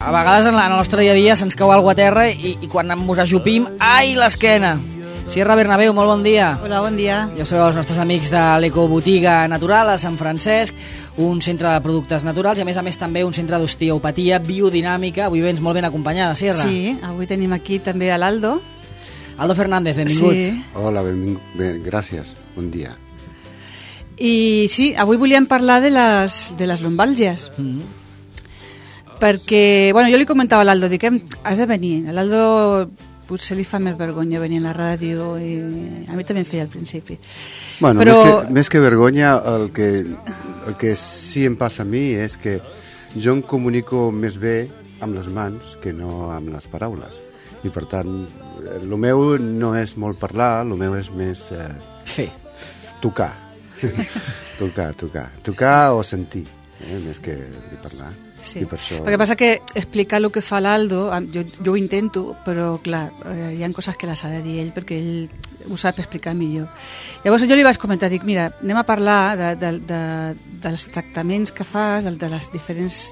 A vegades en el nostre dia a dia se'ns cau alguna a terra i quan ens ajupim, ai, l'esquena! Sierra Bernabéu, molt bon dia. Hola, bon dia. Ja sabeu, els nostres amics de l'Ecobotiga Natural a Sant Francesc, un centre de productes naturals i a més també un centre d'osteopatia biodinàmica. Avui vens molt ben acompanyada, Sierra. Sí, avui tenim aquí també a l'Aldo. Aldo Fernández, benvingut. Sí. Hola, benvingut. Gràcies, bon dia. I sí, avui volíem parlar de les lumbàlgies. Perquè, bueno, jo li comentava a l'Aldo, dic, has de venir. A l'Aldo potser li fa més vergonya venir a la ràdio i a mi també em feia al principi. Bueno, però... més que vergonya, el que sí em passa a mi és que jo em comunico més bé amb les mans que no amb les paraules. I per tant, el meu no és molt parlar, el meu és més... Fer. Tocar. Tocar o sentir, més que parlar. Sí. I per això... Perquè passa que explicar el que fa l'Aldo, jo ho intento, però clar, hi ha coses que les ha de dir ell perquè ell ho sap explicar millor. Llavors jo li vaig comentar, dic, mira, anem a parlar dels tractaments que fas, de les diferents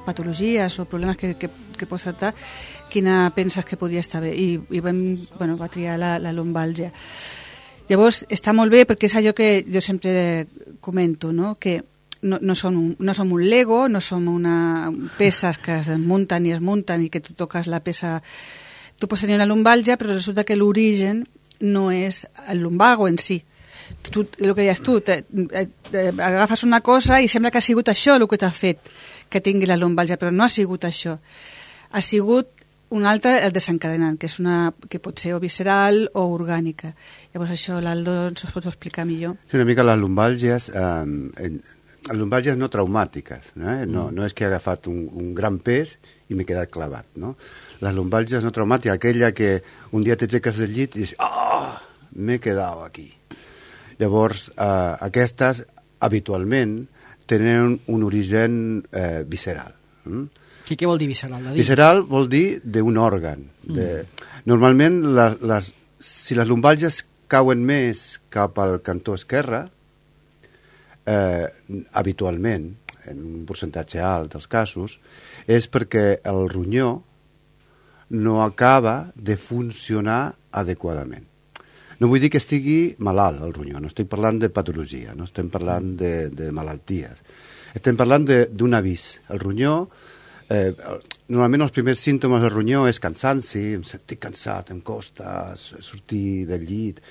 patologies o problemes que pots tractar, quina penses que podria estar bé. I va triar la lumbàlgia. Llavors està molt bé perquè és allò que jo sempre comento, no? Que no som un Lego, no som peces que es desmunten i es munten i que tu toques la peça... Tu pots tenir una lumbàlgia, però resulta que l'origen no és el lumbago en si. El que deies tu, agafes una cosa i sembla que ha sigut això el que t'ha fet que tingui la lumbàlgia, però no ha sigut això. Ha sigut un altre, el desencadenant, que pot ser o visceral o orgànica. Llavors això l'Aldo ens ho pot explicar millor. Sí, una mica les lumbàlgies... Les lumbàlgies no traumàtiques, no és que he agafat un gran pes i m'he quedat clavat, no? Les lumbàlgies no traumàtiques, aquella que un dia t'aixeques del llit i dius, m'he quedat aquí. Llavors, aquestes habitualment tenen un origen visceral. I què vol dir visceral? Visceral vol dir d'un òrgan. Normalment, si les lumbàlgies cauen més cap al cantó esquerre, habitualment, en un percentatge alt dels casos, és perquè el ronyó no acaba de funcionar adequadament. No vull dir que estigui malalt el ronyó, no estic parlant de patologia, no estem parlant de malalties. Estem parlant d'un avís. El ronyó, normalment els primers símptomes del ronyó és cansanci, em sentic cansat, em costa sortir del llit...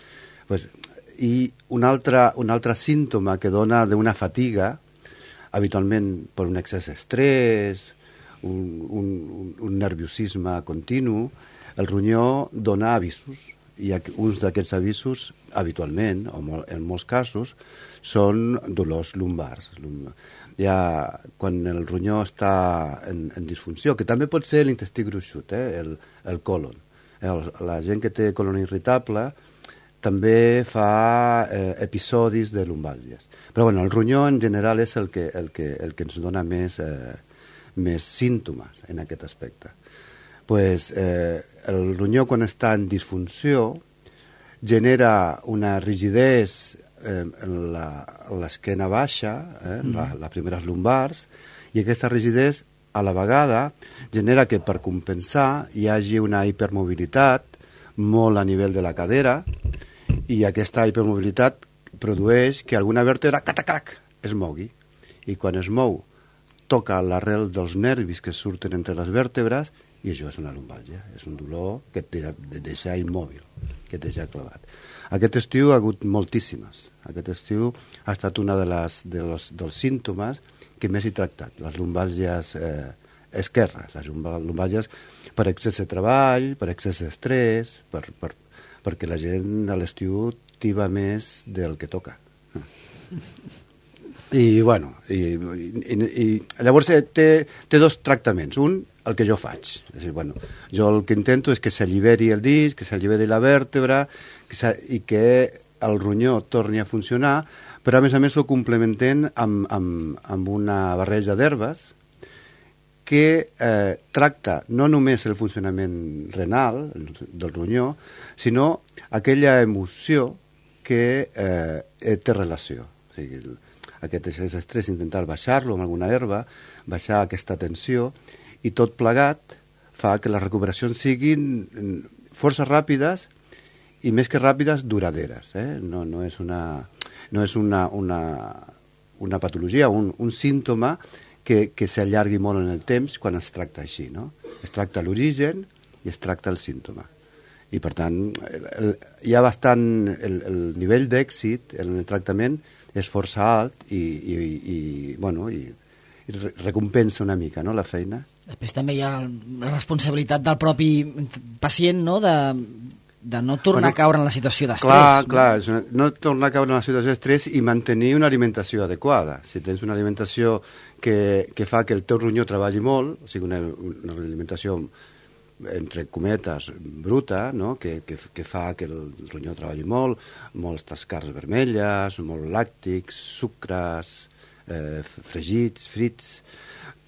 I un altre símptoma que dona d'una fatiga, habitualment per un excés d'estrès, un nerviosisme continu, el ronyó dona avisos, i uns d'aquests avisos, habitualment, o en molts casos, són dolors lumbars. Quan el ronyó està en disfunció, que també pot ser l'intestí gruixut, el colon. La gent que té colon irritable també fa episodis de lumbàlgies. Però bueno, el ronyó en general és el que ens dona més símptomes en aquest aspecte. El ronyó, quan està en disfunció, genera una rigidesa en l'esquena baixa, les primeres lumbars, i aquesta rigidesa a la vegada genera que per compensar hi hagi una hipermobilitat molt a nivell de la cadera, i aquesta hipermobilitat produeix que alguna vèrtebra es mogui. I quan es mou, toca l'arrel dels nervis que surten entre les vèrtebres i això és una lumbàlgia. És un dolor que et deixa immòbil, que et deixa clavat. Aquest estiu ha hagut moltíssimes. Aquest estiu ha estat un dels símptomes que més he tractat. Les lumbàlgies esquerres, les lumbàlgies per excés de treball, per excés d'estrès, perquè la gent a l'estiu tiba més del que toca. I llavors té dos tractaments. Un, el que jo faig. És a dir, jo el que intento és que s'alliberi el disc, que s'alliberi la vèrtebra i que el ronyó torni a funcionar, però a més ho complementem amb una barreja d'herbes que tracta no només el funcionament renal del ronyó, sinó aquella emoció que té relació. O sigui, aquest estrès, intentar baixar-lo amb alguna herba, baixar aquesta tensió i tot plegat fa que les recuperacions siguin força ràpides i més que ràpides, duraderes. No és una patologia, un símptoma que s'allargui molt en el temps quan es tracta així, no? Es tracta l'origen i es tracta el símptoma. I, per tant, hi ha bastant... El nivell d'èxit en el tractament és força alt i recompensa una mica, no?, la feina. Després també hi ha la responsabilitat del propi pacient, no?, de no tornar a caure en la situació d'estrès. Clar, no tornar a caure en la situació d'estrès i mantenir una alimentació adequada. Si tens una alimentació que fa que el teu ronyó treballi molt, o sigui, una alimentació entre cometes bruta, no?, que fa que el ronyó treballi molt, moltes carns vermelles, molt làctics, sucres, fregits, frits.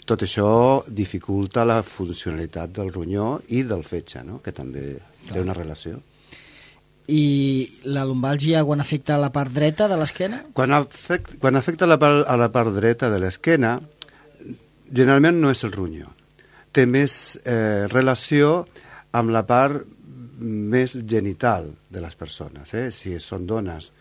Tot això dificulta la funcionalitat del ronyó i del fetge, no?, que també té una relació. I la lumbàlgia quan afecta la part dreta de l'esquena? Quan afecta a la part dreta de l'esquena, generalment no és el ronyó. Té més relació amb la part més genital de les persones. Si són dones,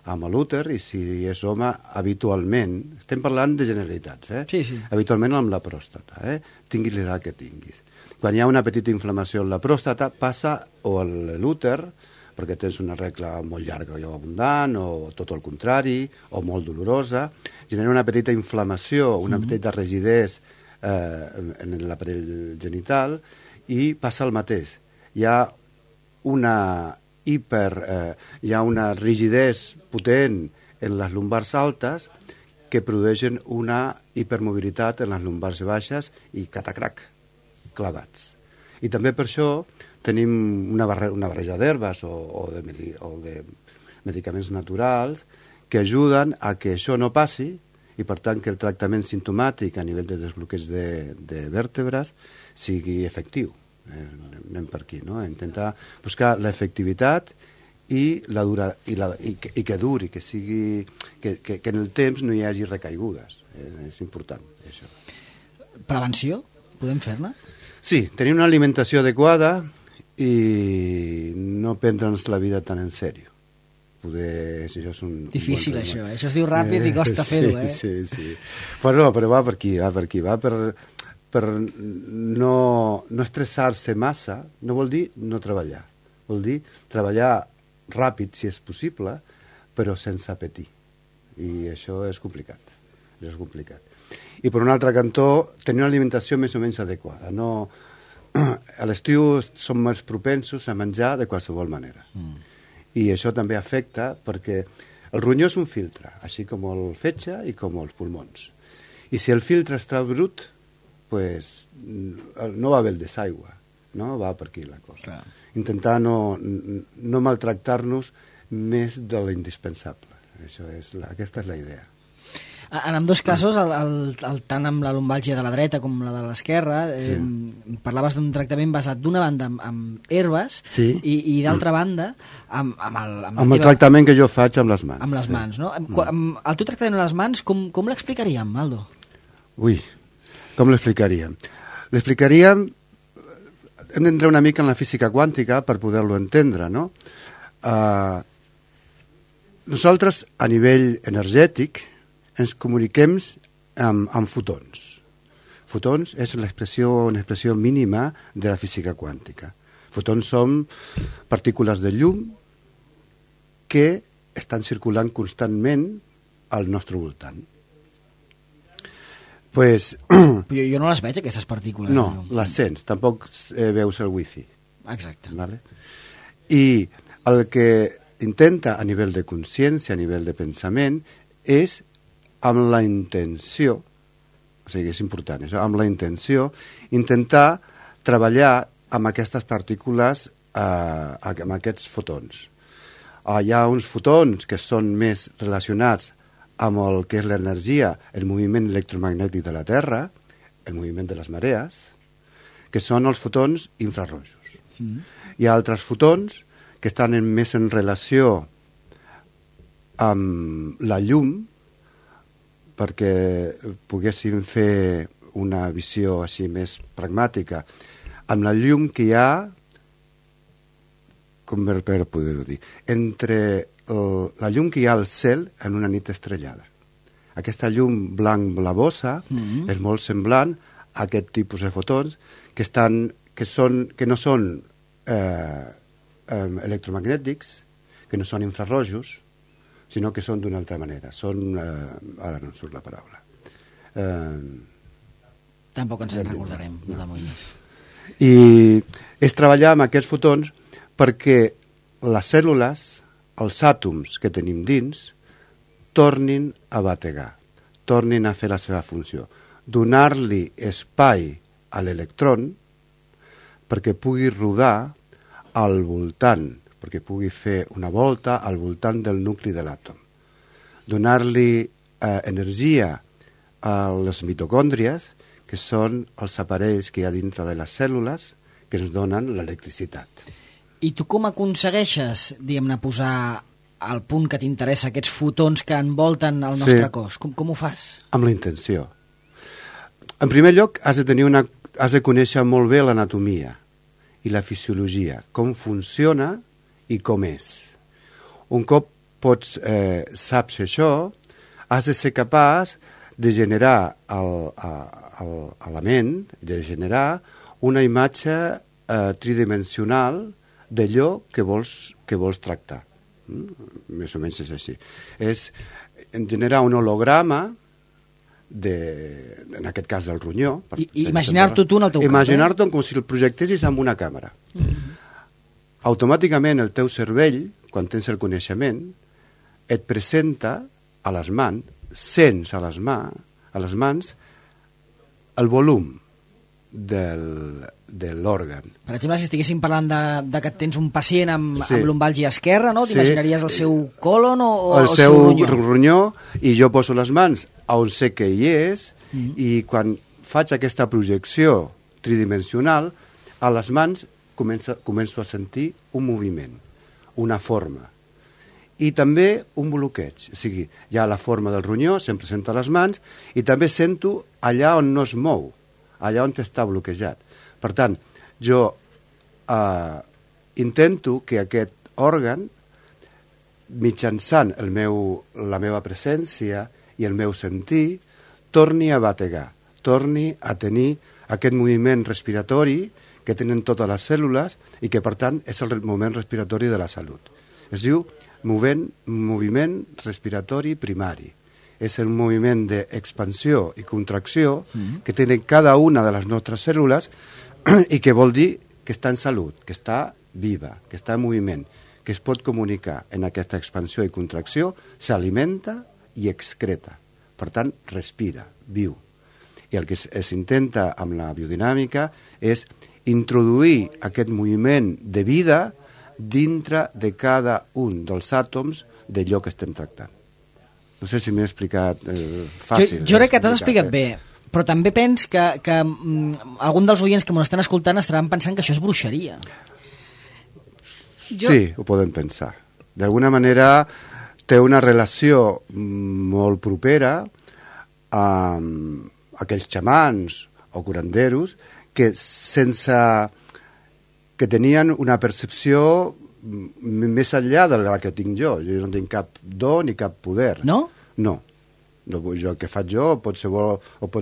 amb l'úter, i si és home, habitualment, estem parlant de generalitats, Sí. Habitualment amb la pròstata, tinguis l'edat que tinguis. Quan hi ha una petita inflamació en la pròstata, passa o a l'úter, perquè tens una regla molt llarga o abundant, o tot el contrari, o molt dolorosa, genera una petita inflamació, una petita rigidesa en l'aparell genital, i passa el mateix. Hi ha una rigidesa potent en les lumbars altes que produeixen una hipermobilitat en les lumbars baixes i catacrac, clavats. I també per això tenim una barreja d'herbes o de medicaments naturals que ajuden a que això no passi i, per tant, que el tractament simptomàtic a nivell de desbloqueig de vèrtebres sigui efectiu. Anem per aquí, no? Intentar buscar l'efectivitat i que duri, que sigui que en el temps no hi hagi recaigudes. És important, això. Prevenció? Podem fer-ne? Sí, tenir una alimentació adequada i no prendre'ns la vida tan en sèrio. Si això és difícil, això. Això es diu ràpid i costa fer-ho, Sí. Però va per aquí, va per no estressar-se massa. No vol dir no treballar. Vol dir treballar ràpid, si és possible, però sense apetir. I això és complicat. I per un altre cantó, tenir una alimentació més o menys adequada. A l'estiu som més propensos a menjar de qualsevol manera. I això també afecta perquè el ronyó és un filtre, així com el fetge i com els pulmons. I si el filtre es trau brut, pues, no va bé el desaigua, no? Va per aquí la cosa. Clar. Intentar no maltractar-nos més de l'indispensable. Aquesta és la idea. En ambdós casos, tant amb la lumbàlgia de la dreta com la de l'esquerra, parlaves d'un tractament basat d'una banda amb herbes i d'altra banda amb el tractament que jo faig amb les mans. Amb les mans, no? El teu tractament amb les mans, com l'explicaríem, Aldo? Com l'explicaríem? L'explicaríem... Hem d'entrar una mica en la física quàntica per poder-lo entendre, no? Nosaltres, a nivell energètic, ens comuniquem amb fotons. Fotons és una expressió mínima de la física quàntica. Fotons són partícules de llum que estan circulant constantment al nostre voltant. Jo no les veig, aquestes partícules. No, les sents, tampoc veus el wifi. Exacte. Vale? I el que intenta a nivell de consciència, a nivell de pensament, és amb la intenció, o sigui, és important això, amb la intenció, intentar treballar amb aquestes partícules, amb aquests fotons. Hi ha uns fotons que són més relacionats amb el que és l'energia, el moviment electromagnètic de la Terra, el moviment de les marees, que són els fotons infrarrojos. Hi ha altres fotons que estan més en relació amb la llum, perquè poguéssim fer una visió així més pragmàtica, amb la llum que hi ha, com per poder-ho dir, entre la llum que hi ha al cel en una nit estrellada. Aquesta llum blanc-blavosa és molt semblant a aquest tipus de fotons que no són electromagnètics, que no són infrarrojos, sinó que són d'una altra manera. Són... ara no em surt la paraula. Tampoc ens en recordarem, no t'amoïnis. I és treballar amb aquests fotons perquè les cèl·lules, els àtoms que tenim dins, tornin a bategar, tornin a fer la seva funció, donar-li espai a l'electron perquè pugui rodar al voltant, perquè pugui fer una volta al voltant del nucli de l'àtom. Donar-li energia a les mitocòndries, que són els aparells que hi ha dintre de les cèl·lules que ens donen l'electricitat. I tu com aconsegueixes, diguem-ne, posar al punt que t'interessa aquests fotons que envolten el nostre cos? Com ho fas? Amb la intenció. En primer lloc, has de conèixer molt bé l'anatomia i la fisiologia, com funciona i com és. Un cop saps això, has de ser capaç de generar a la ment, de generar una imatge tridimensional d'allò que vols tractar. Més o menys és així. És generar un holograma en aquest cas del ronyó. I imaginar-t'ho tu en el teu cap. Imaginar-t'ho com si el projectessis amb una càmera. Automàticament el teu cervell, quan tens el coneixement, et presenta a les mans, sents a les mans el volum de l'òrgan. Per exemple, si estiguéssim parlant de que tens un pacient amb lumbàlgia esquerra, no? T'imaginaries el seu colon o el seu ronyó? I jo poso les mans on sé que hi és i quan faig aquesta projecció tridimensional, a les mans començo a sentir un moviment, una forma. I també un bloqueig. O sigui, hi ha la forma del ronyó, se'm presenta a les mans, i també sento allà on no es mou, allà on està bloquejat. Per tant, jo intento que aquest òrgan, mitjançant la meva presència i el meu sentir, torni a bategar, torni a tenir aquest moviment respiratori que tenen totes les cèl·lules i que, per tant, és el moviment respiratori de la salut. Es diu moviment respiratori primari. És el moviment d'expansió i contracció que tenen cada una de les nostres cèl·lules i que vol dir que està en salut, que està viva, que està en moviment, que es pot comunicar en aquesta expansió i contracció, s'alimenta i excreta. Per tant, respira, viu. I el que s'intenta amb la biodinàmica és introduir aquest moviment de vida dintre de cada un dels àtoms d'allò que estem tractant. No sé si m'he explicat fàcil. Jo crec que t'has explicat bé, però també pens que algun dels oients que m'ho estan escoltant estaran pensant que això és bruixeria. Sí, ho poden pensar. D'alguna manera té una relació molt propera amb aquells xamans o curanderos que que tenien una percepció més enllà de la que tinc jo. Jo no tinc cap do ni cap poder. No? No. El que faig jo ho pot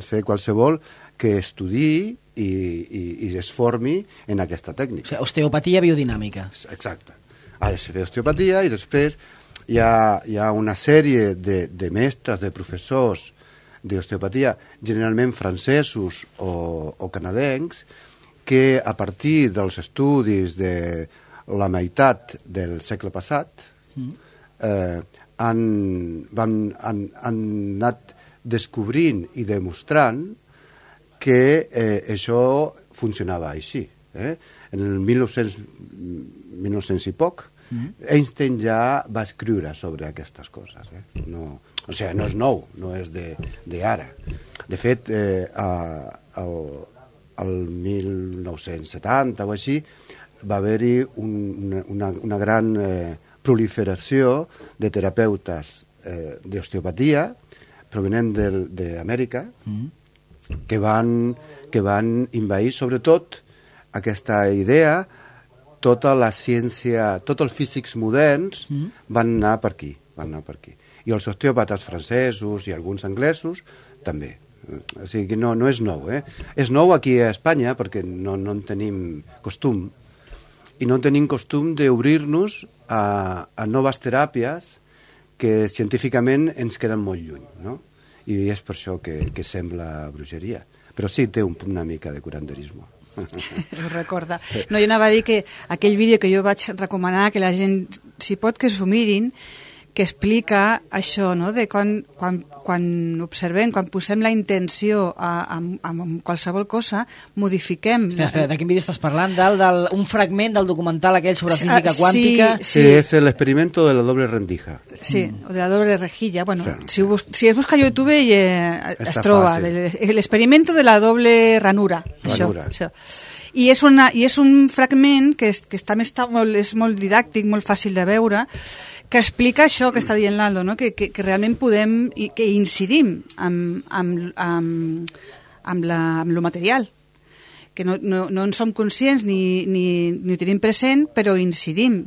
fer qualsevol que estudiï i es formi en aquesta tècnica. O sigui, osteopatia biodinàmica. Exacte. Ha de fer osteopatia i després hi ha una sèrie de mestres, de professors d'osteopatia, generalment francesos o canadencs, que a partir dels estudis de la meitat del segle passat han anat descobrint i demostrant que això funcionava així. En el 1900 i poc, Einstein ja va escriure sobre aquestes coses. No és nou, no és d'ara. De fet, el 1970 o així va haver-hi una gran proliferació de terapeutes d'osteopatia provenent d'Amèrica que van envair, sobretot, aquesta idea, tota la ciència, tots els físics moderns van anar per aquí. I els osteòpates francesos i alguns anglesos també. O sigui que no és nou, És nou aquí a Espanya perquè no en tenim costum. I no tenim costum d'obrir-nos a noves teràpies que científicament ens queden molt lluny, no? I és per això que sembla bruixeria. Però sí, té una mica de curanderisme. Ho recorda. No, jo anava a dir que aquell vídeo que jo vaig recomanar, que la gent, si pot, que s'ho mirin, que explica això, no?, de quan observem, quan posem la intenció en qualsevol cosa, modifiquem. Espera, de quin vídeo estàs parlant? Un fragment del documental aquell sobre física quàntica? Sí, és l'experimento de la doble rendija. Sí, o de la doble rejilla. Bueno, si es busca a YouTube es troba. L'experimento de la doble ranura. Això. I és un fragment que també és molt didàctic, molt fàcil de veure, que explica això que està dient l'Aldo, no? que realment podem, que incidim amb lo material, que no en som conscients ni ho tenim present, però incidim.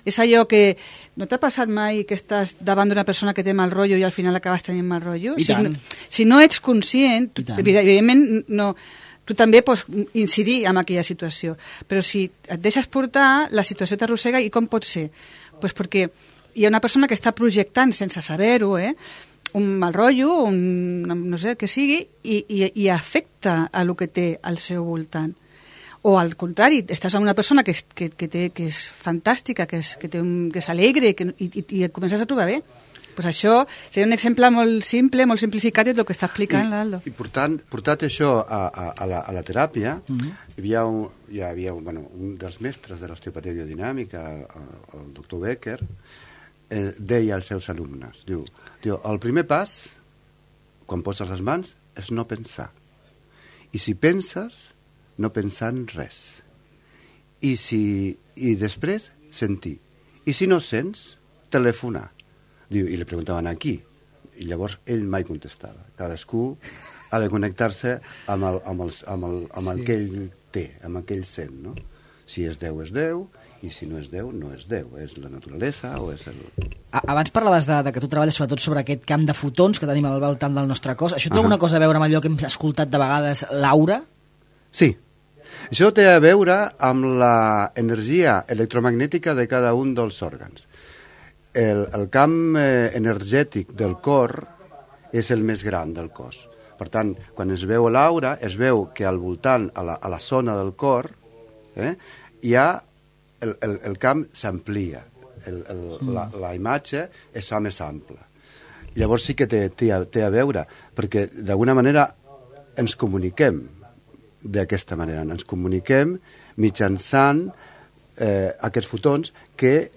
És allò que... No t'ha passat mai que estàs davant d'una persona que té mal rotllo i al final acabes tenint mal rotllo? Si no ets conscient, evidentment no... Tu també pots incidir en aquella situació, però si et deixes portar, la situació t'arrossega. I com pot ser? Pues perquè hi ha una persona que està projectant sense saber-ho, un mal rotllo, no sé, que sigui, i afecta a lo que té al seu voltant. O al contrari, estàs amb una persona que és fantàstica, que és alegre i et comences a trobar bé. Pues això seria un exemple molt simple, molt simplificat del que està explicant l'Aldo. I portat això a la teràpia, hi havia un dels mestres de l'osteopatia biodinàmica, el doctor Becker, deia als seus alumnes, diu, el primer pas, quan poses les mans, és no pensar. I si penses, no pensar en res. I després, sentir. I si no sents, telefonar. Diu, i li preguntaven a qui? I llavors ell mai contestava. Cadascú ha de connectar-se amb el que ell té, amb el que ell sent, no? Si és Déu, és Déu, i si no és Déu, no és Déu. És la naturalesa o és el... Abans parlaves de que tu treballes sobretot sobre aquest camp de fotons que tenim al voltant del nostre cos. Això té alguna cosa a veure amb allò que hem escoltat de vegades, l'aura? Sí. Això té a veure amb l'energia electromagnètica de cada un dels òrgans. El camp energètic del cor és el més gran del cos. Per tant, quan es veu l'aura, es veu que al voltant, a la zona del cor, hi ha el camp s'amplia, la imatge es fa més ampla. Llavors sí que té a veure, perquè d'alguna manera ens comuniquem d'aquesta manera, ens comuniquem mitjançant aquests fotons que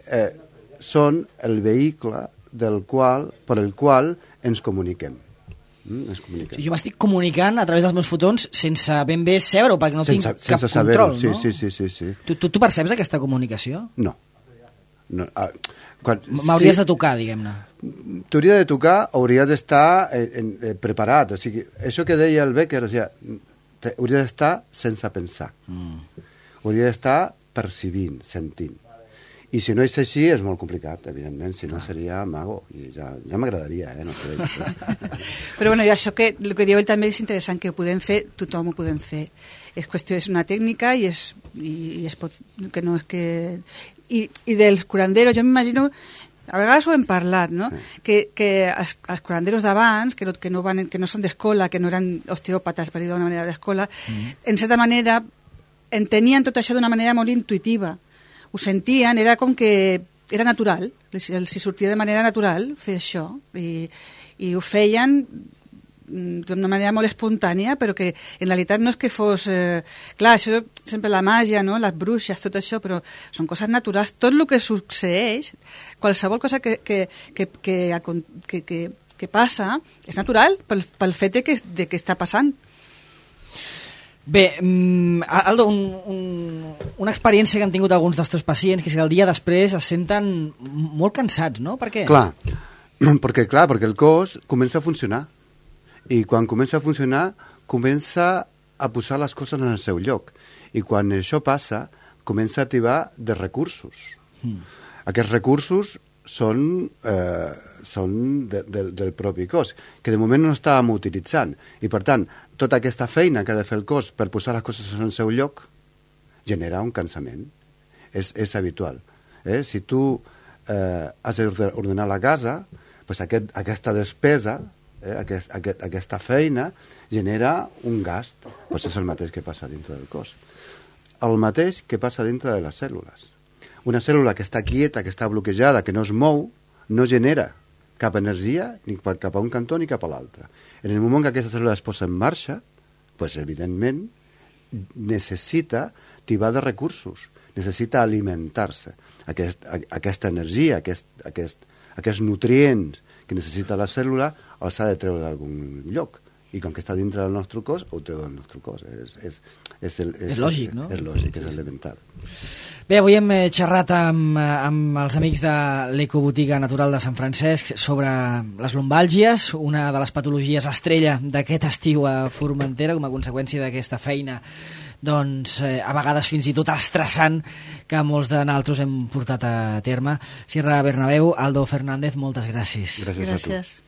són el vehicle per el qual ens comuniquem. Sí, jo m'estic comunicant a través dels meus fotons sense ben bé saber-ho, perquè no tinc cap control, no? Sí. Tu perceps aquesta comunicació? No. M'hauries de tocar, diguem-ne. T'hauria de tocar, hauria d'estar preparat. O sigui, això que deia el Becker, hauria d'estar sense pensar. Hauria d'estar percibint, sentint. I si no és així, és molt complicat, evidentment, si no seria mago, i ja m'agradaria, no sé. Però bueno, això que el que diu ell també és interessant, que ho podem fer, tothom ho podem fer. És qüestió, és una tècnica i es pot, que no és que... I dels curanderos, jo m'imagino, a vegades ho hem parlat, no? Que els curanderos d'abans, que no són d'escola, que no eren osteòpates, per dir d'una manera d'escola, en certa manera entenien tot això d'una manera molt intuïtiva. Ho sentien, era com que era natural, els sortia de manera natural fer això, i ho feien d'una manera molt espontània, però que en realitat no és que fos... clar, això sempre la màgia, no? Les bruixes, tot això, però són coses naturals. Tot el que succeeix, qualsevol cosa que passa, és natural pel fet de que està passant. Bé, Aldo, una experiència que han tingut alguns dels teus pacients, que és que el dia després es senten molt cansats, no? Per què? Perquè el cos comença a funcionar. I quan comença a funcionar, comença a posar les coses en el seu lloc. I quan això passa, comença a activar de recursos. Aquests recursos són del propi cos, que de moment no estàvem utilitzant. I, per tant, tota aquesta feina que ha de fer el cos per posar les coses en el seu lloc genera un cansament. És habitual. Si tu has d'ordenar la casa, pues aquesta despesa, aquesta feina, genera un gast. Pues és el mateix que passa dintre del cos. El mateix que passa dintre de les cèl·lules. Una cèl·lula que està quieta, que està bloquejada, que no es mou, no genera cap energia ni cap a un cantó ni cap a l'altre. En el moment que aquesta cèl·lula es posa en marxa, pues, evidentment, necessita tibar de recursos, necessita alimentar-se. Aquesta energia, aquests nutrients que necessita la cèl·lula, els ha de treure d'algun lloc. I com que està dintre del nostre cos, ho treu del nostre cos. És lògic, no? És lògic, és elemental. Bé, avui hem xerrat amb els amics de l'Ecobotiga Natural de Sant Francesc sobre les lumbàlgies, una de les patologies estrella d'aquest estiu a Formentera, com a conseqüència d'aquesta feina, doncs, a vegades fins i tot estressant, que molts de nosaltres hem portat a terme. Sierra Bernabéu, Aldo Fernández, moltes gràcies. Gràcies a tu.